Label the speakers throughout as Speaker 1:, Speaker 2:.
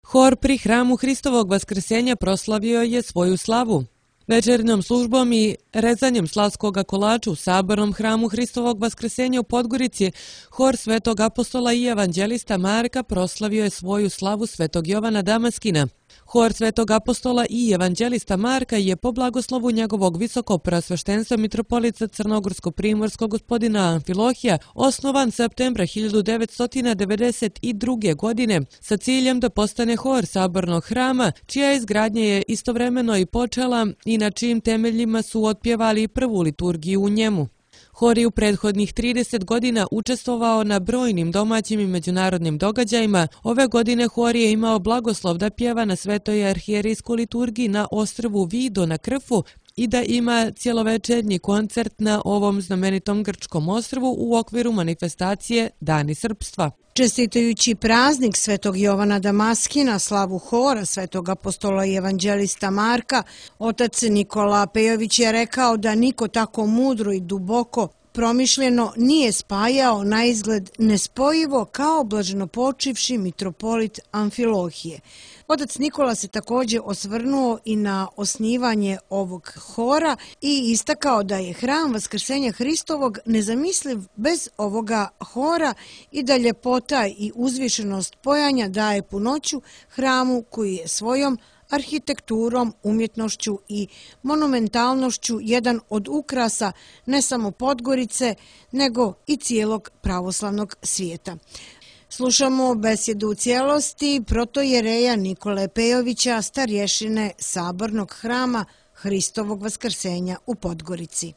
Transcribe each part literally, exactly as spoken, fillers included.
Speaker 1: Hor pri hramu Hristovog vaskrsenja proslavio je svoju slavu. Večernjom službom i rezanjem slavskoga kolača u sabornom hramu Hristovog vaskrsenja u Podgorici, hor Svetog apostola i evanđelista Marka proslavio je svoju slavu Svetog Jovana Damaskina. Hor Svetog apostola i evanđelista Marka je po blagoslovu njegovog visokopreosveštenstva mitropolita Crnogorsko-primorskog gospodina Amfilohija osnovan septembra hiljadu devetsto devedeset druge. godine sa ciljem da postane hor sabornog hrama, čija izgradnja je istovremeno i počela i na čijim temeljima su otpjevali prvu liturgiju u njemu. Hor je u prethodnih trideset godina učestvovao na brojnim domaćim i međunarodnim događajima. Ove godine hor je imao blagoslov da pjeva na Svetoj arhijerijskoj liturgiji na ostrvu Vido na Krfu i da ima cjelovečernji koncert na ovom znamenitom grčkom ostrvu u okviru manifestacije Dani srpstva.
Speaker 2: Čestitajući praznik Svetog Jovana Damaskina, slavu hora Svetog apostola i evanđelista Marka, otac Nikola Pejović je rekao da niko tako mudro i duboko promišljeno nije spajao na izgled nespojivo kao blaženopočivši mitropolit Amfilohije. Otac Nikola se također osvrnuo i na osnivanje ovog hora i istakao da je hram Vaskrsenja Hristovog nezamisliv bez ovoga hora i da ljepota i uzvišenost pojanja daje punoću hramu koji je svojom arhitekturom, umjetnošću i monumentalnošću jedan od ukrasa ne samo Podgorice, nego i cijelog pravoslavnog svijeta. Slušamo besjedu u cijelosti protojereja Nikole Pejovića, starješine sabornog hrama Hristovog vaskrsenja u Podgorici.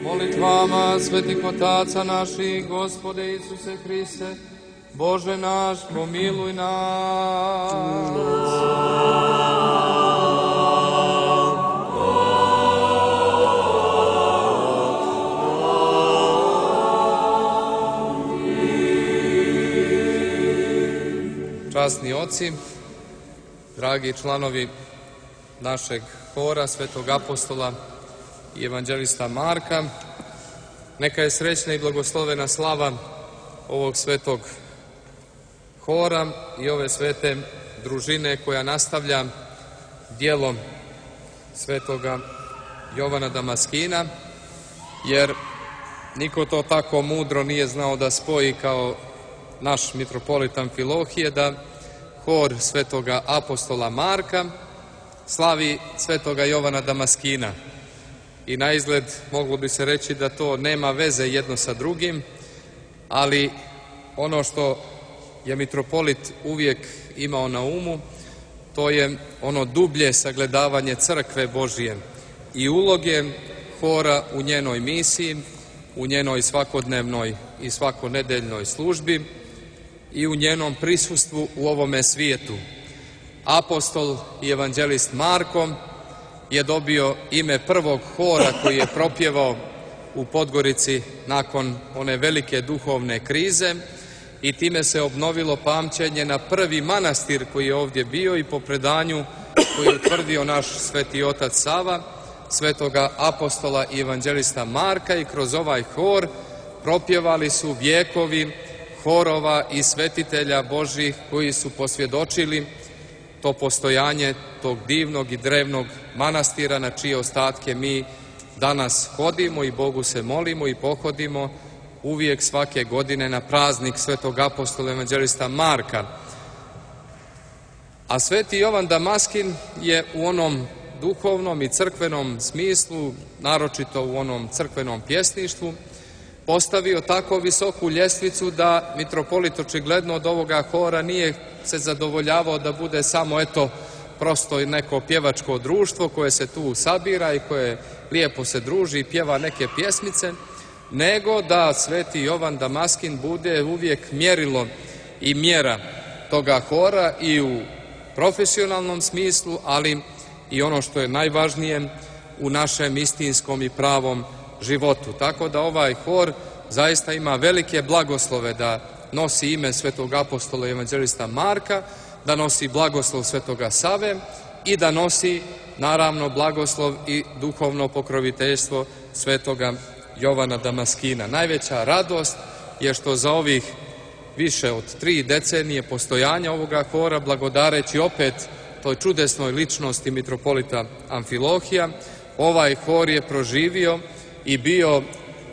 Speaker 3: Molitvama svetih otaca naših, Gospode Isuse Hriste, Bože naš, pomiluj nas. Časni oci, dragi članovi našeg hora Svetog apostola i evanđelista Marka, neka je srećna i blagoslovena slava ovog svetog hora i ove svete družine koja nastavlja djelom Svetoga Jovana Damaskina, jer niko to tako mudro nije znao da spoji kao naš mitropolit Amfilohije, da hor Svetoga apostola Marka slavi Svetoga Jovana Damaskina. I na izgled moglo bi se reći da to nema veze jedno sa drugim, ali ono što je mitropolit uvijek imao na umu, to je ono dublje sagledavanje crkve Božije i uloge hora u njenoj misiji, u njenoj svakodnevnoj i svakonedeljnoj službi i u njenom prisustvu u ovome svijetu. Apostol i evanđelist Marko je dobio ime prvog hora koji je propjevao u Podgorici nakon one velike duhovne krize i time se obnovilo pamćenje na prvi manastir koji je ovdje bio i po predanju koji je utvrdio naš sveti otac Sava, Svetoga apostola i evanđelista Marka, i kroz ovaj hor propjevali su vjekovi horova i svetitelja Božih koji su posvjedočili to postojanje tog divnog i drevnog manastira na čije ostatke mi danas hodimo i Bogu se molimo i pohodimo uvijek svake godine na praznik Svetog apostola evanđelista Marka. A Sveti Jovan Damaskin je u onom duhovnom i crkvenom smislu, naročito u onom crkvenom pjesništvu, postavio tako visoku ljestvicu da mitropolit očigledno od ovoga hora nije se zadovoljavao da bude samo eto prosto neko pjevačko društvo koje se tu sabira i koje lijepo se druži i pjeva neke pjesmice, nego da Sveti Jovan Damaskin bude uvijek mjerilo i mjera toga hora i u profesionalnom smislu, ali i ono što je najvažnije u našem istinskom i pravom životu. Tako da ovaj hor zaista ima velike blagoslove da nosi ime Svetog apostola i evanđelista Marka, da nosi blagoslov Svetoga Save i da nosi naravno blagoslov i duhovno pokroviteljstvo Svetoga Jovana Damaskina. Najveća radost je što za ovih više od tri decenije postojanja ovoga hora, blagodareći opet toj čudesnoj ličnosti mitropolita Amfilohija, ovaj hor je proživio i bio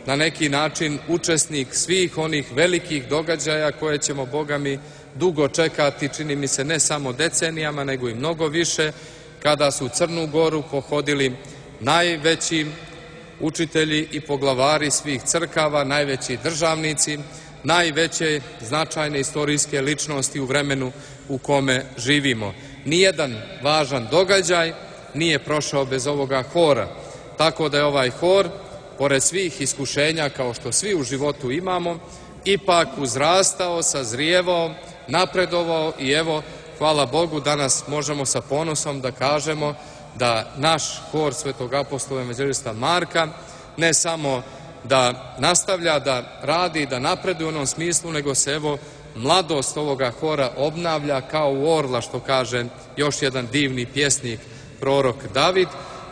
Speaker 3: na neki način učesnik svih onih velikih događaja koje ćemo, Boga mi, dugo čekati, čini mi se ne samo decenijama, nego i mnogo više, kada su Crnu Goru pohodili najveći učitelji i poglavari svih crkava, najveći državnici, najveće značajne istorijske ličnosti u vremenu u kome živimo. Nijedan važan događaj nije prošao bez ovoga hora, tako da je ovaj hor, pored svih iskušenja kao što svi u životu imamo, ipak uzrastao, sazrijevao, napredovao i evo, hvala Bogu, danas možemo sa ponosom da kažemo da naš hor Svetog apostola evanđelista Marka ne samo da nastavlja da radi, da napreduje u onom smislu, nego se evo mladost ovoga hora obnavlja kao u orla, što kaže još jedan divni pjesnik, prorok David,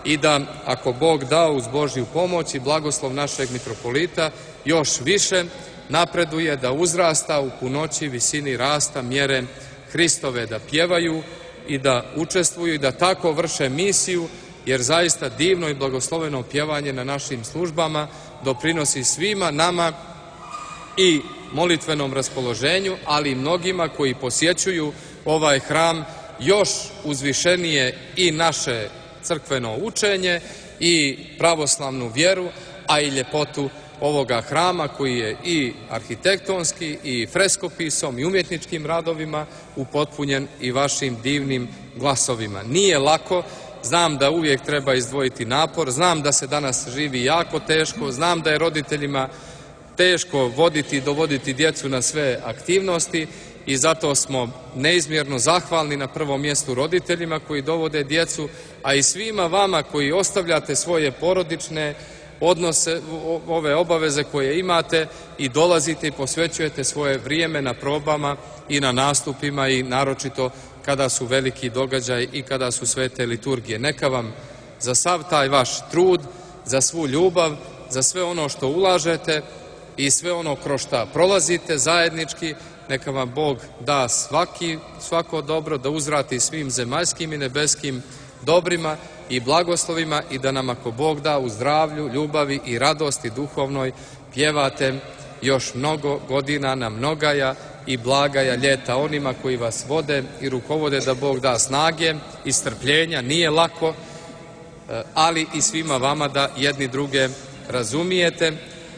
Speaker 3: i da, ako Bog da, uz Božju pomoć i blagoslov našeg mitropolita, još više napreduje, da uzrasta u punoći, visini rasta, mjere Hristove, da pjevaju i da učestvuju i da tako vrše misiju, jer zaista divno i blagosloveno pjevanje na našim službama doprinosi svima nama i molitvenom raspoloženju, ali i mnogima koji posjećuju ovaj hram još uzvišenije i naše crkveno učenje i pravoslavnu vjeru, a i ljepotu ovoga hrama koji je i arhitektonski i freskopisom i umjetničkim radovima upotpunjen i vašim divnim glasovima. Nije lako, znam da uvijek treba izdvojiti napor, znam da se danas živi jako teško, znam da je roditeljima teško voditi i dovoditi djecu na sve aktivnosti i zato smo neizmjerno zahvalni na prvom mjestu roditeljima koji dovode djecu, a i svima vama koji ostavljate svoje porodične odnose, ove obaveze koje imate i dolazite i posvećujete svoje vrijeme na probama i na nastupima i naročito kada su veliki događaj i kada su svete liturgije. Neka vam za sav taj vaš trud, za svu ljubav, za sve ono što ulažete i sve ono kroz šta prolazite zajednički, neka vam Bog da svaki, svako dobro, da uzvrati svim zemaljskim i nebeskim dobrima i blagoslovima i da nam, ako Bog da, u zdravlju, ljubavi i radosti duhovnoj pjevate još mnogo godina na mnogaja i blagaja ljeta onima koji vas vode i rukovode, da Bog da snage i strpljenja, nije lako, ali i svima vama da jedni druge razumijete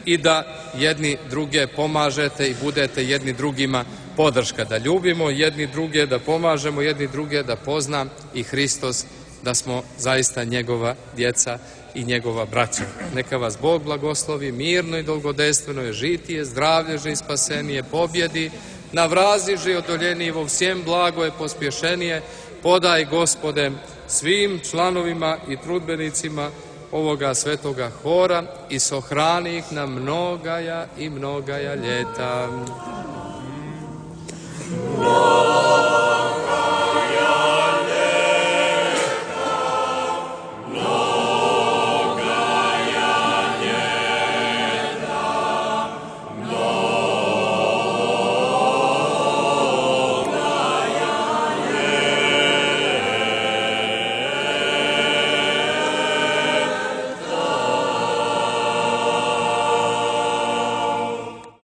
Speaker 3: i da jedni druge pomažete i budete jedni drugima podrška, da ljubimo jedni druge, da pomažemo jedni druge, da pozna i Hristos da smo zaista njegova djeca i njegova braća. Neka vas Bog blagoslovi, mirno i dolgodejstveno je žitije, zdravlježe i spasenije, pobjedi, navraziže i odoljenije, vo всем blago je pospješenije, podaj Gospode svim članovima i trudbenicima ovoga svetoga hora i sohrani ih na mnogaja i mnogaja ljeta.